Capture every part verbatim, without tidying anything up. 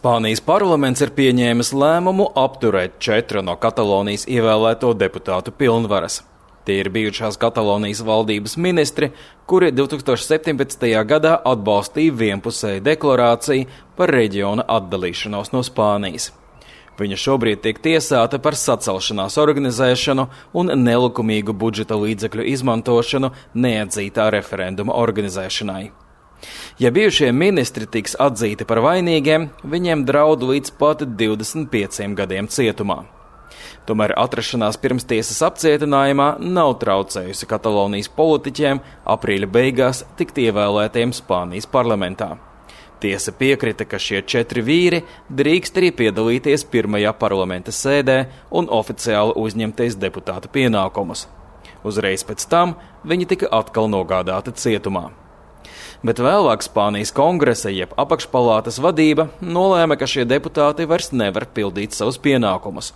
Spānijas parlaments ir pieņēmis lēmumu apturēt četru no Katalonijas ievēlēto deputātu pilnvaras. Tie ir bijušās Katalonijas valdības ministri, kuri divtūkstoš septiņpadsmitajā gadā atbalstīja vienpusēju deklarāciju par reģiona atdalīšanos no Spānijas. Viņa šobrīd tiek tiesāta par sacelšanās organizēšanu un nelikumīgu budžeta līdzekļu izmantošanu neatzītā referenduma organizēšanai. Ja bijušie ministri tiks atzīti par vainīgiem, viņiem draud līdz pat divdesmit pieciem gadiem cietumā. Tomēr atrašanās pirmstiesas apcietinājumā nav traucējusi Katalonijas politiķiem aprīļa beigās tikt ievēlētiem Spānijas parlamentā. Tiesa piekrita, ka šie četri vīri drīkst arī piedalīties pirmajā parlamenta sēdē un oficiāli uzņemties deputāta pienākumus. Uzreiz pēc tam viņi tika atkal nogādāti cietumā. Bet vēlāk Spānijas kongresa jeb apakšpalātas vadība nolēma, ka šie deputāti vairs nevar pildīt savus pienākumus.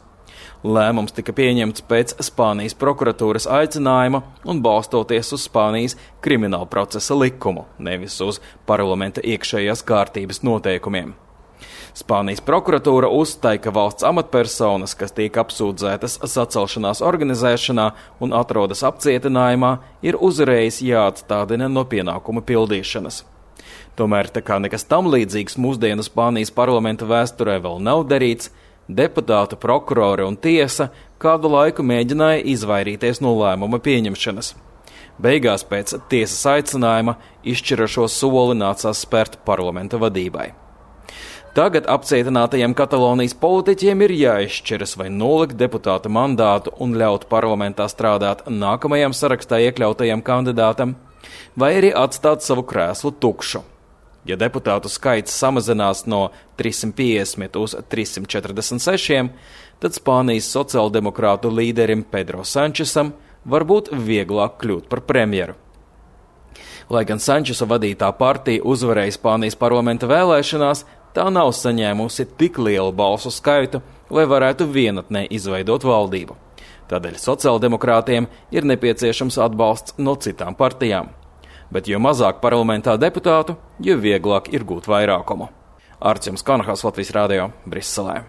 Lēmums tika pieņemts pēc Spānijas prokuratūras aicinājuma un balstoties uz Spānijas krimināla procesa likumu, nevis uz parlamenta iekšējās kārtības noteikumiem. Spānijas prokuratūra uzstāja, ka valsts amatpersonas, kas tiek apsūdzētas sacelšanās organizēšanā un atrodas apcietinājumā, ir uzreiz jāatstādina no pienākuma pildīšanas. Tomēr, tā kā nekas tam līdzīgs mūsdienu Spānijas parlamenta vēsturē vēl nav darīts, deputātu, prokurori un tiesa kādu laiku mēģināja izvairīties no lēmuma pieņemšanas. Beigās pēc tiesas aicinājuma izšķirošo soli nācās spērt parlamenta vadībai. Tagad apcietinātajiem Katalonijas politiķiem ir jāizšķiras vai nolikt deputāta mandātu un ļaut parlamentā strādāt nākamajam sarakstā iekļautajam kandidātam, vai arī atstāt savu krēslu tukšu. Ja deputātu skaits samazinās no trīssimt piecdesmit uz trīssimt četrdesmit sešiem, tad Spānijas sociāldemokrātu līderim Pedro Sančesam var būt vieglāk kļūt par premjeru. Lai gan Sančesa vadītā partija uzvarēja Spānijas parlamenta vēlēšanās, tā nav saņēmusi tik lielu balsu skaitu, lai varētu vienatnē izveidot valdību. Tādēļ sociāldemokrātiem ir nepieciešams atbalsts no citām partijām. Bet jo mazāk parlamentā deputātu, jo vieglāk ir gūt vairākumu. Artjums Kanahals, Latvijas radio, Briselē.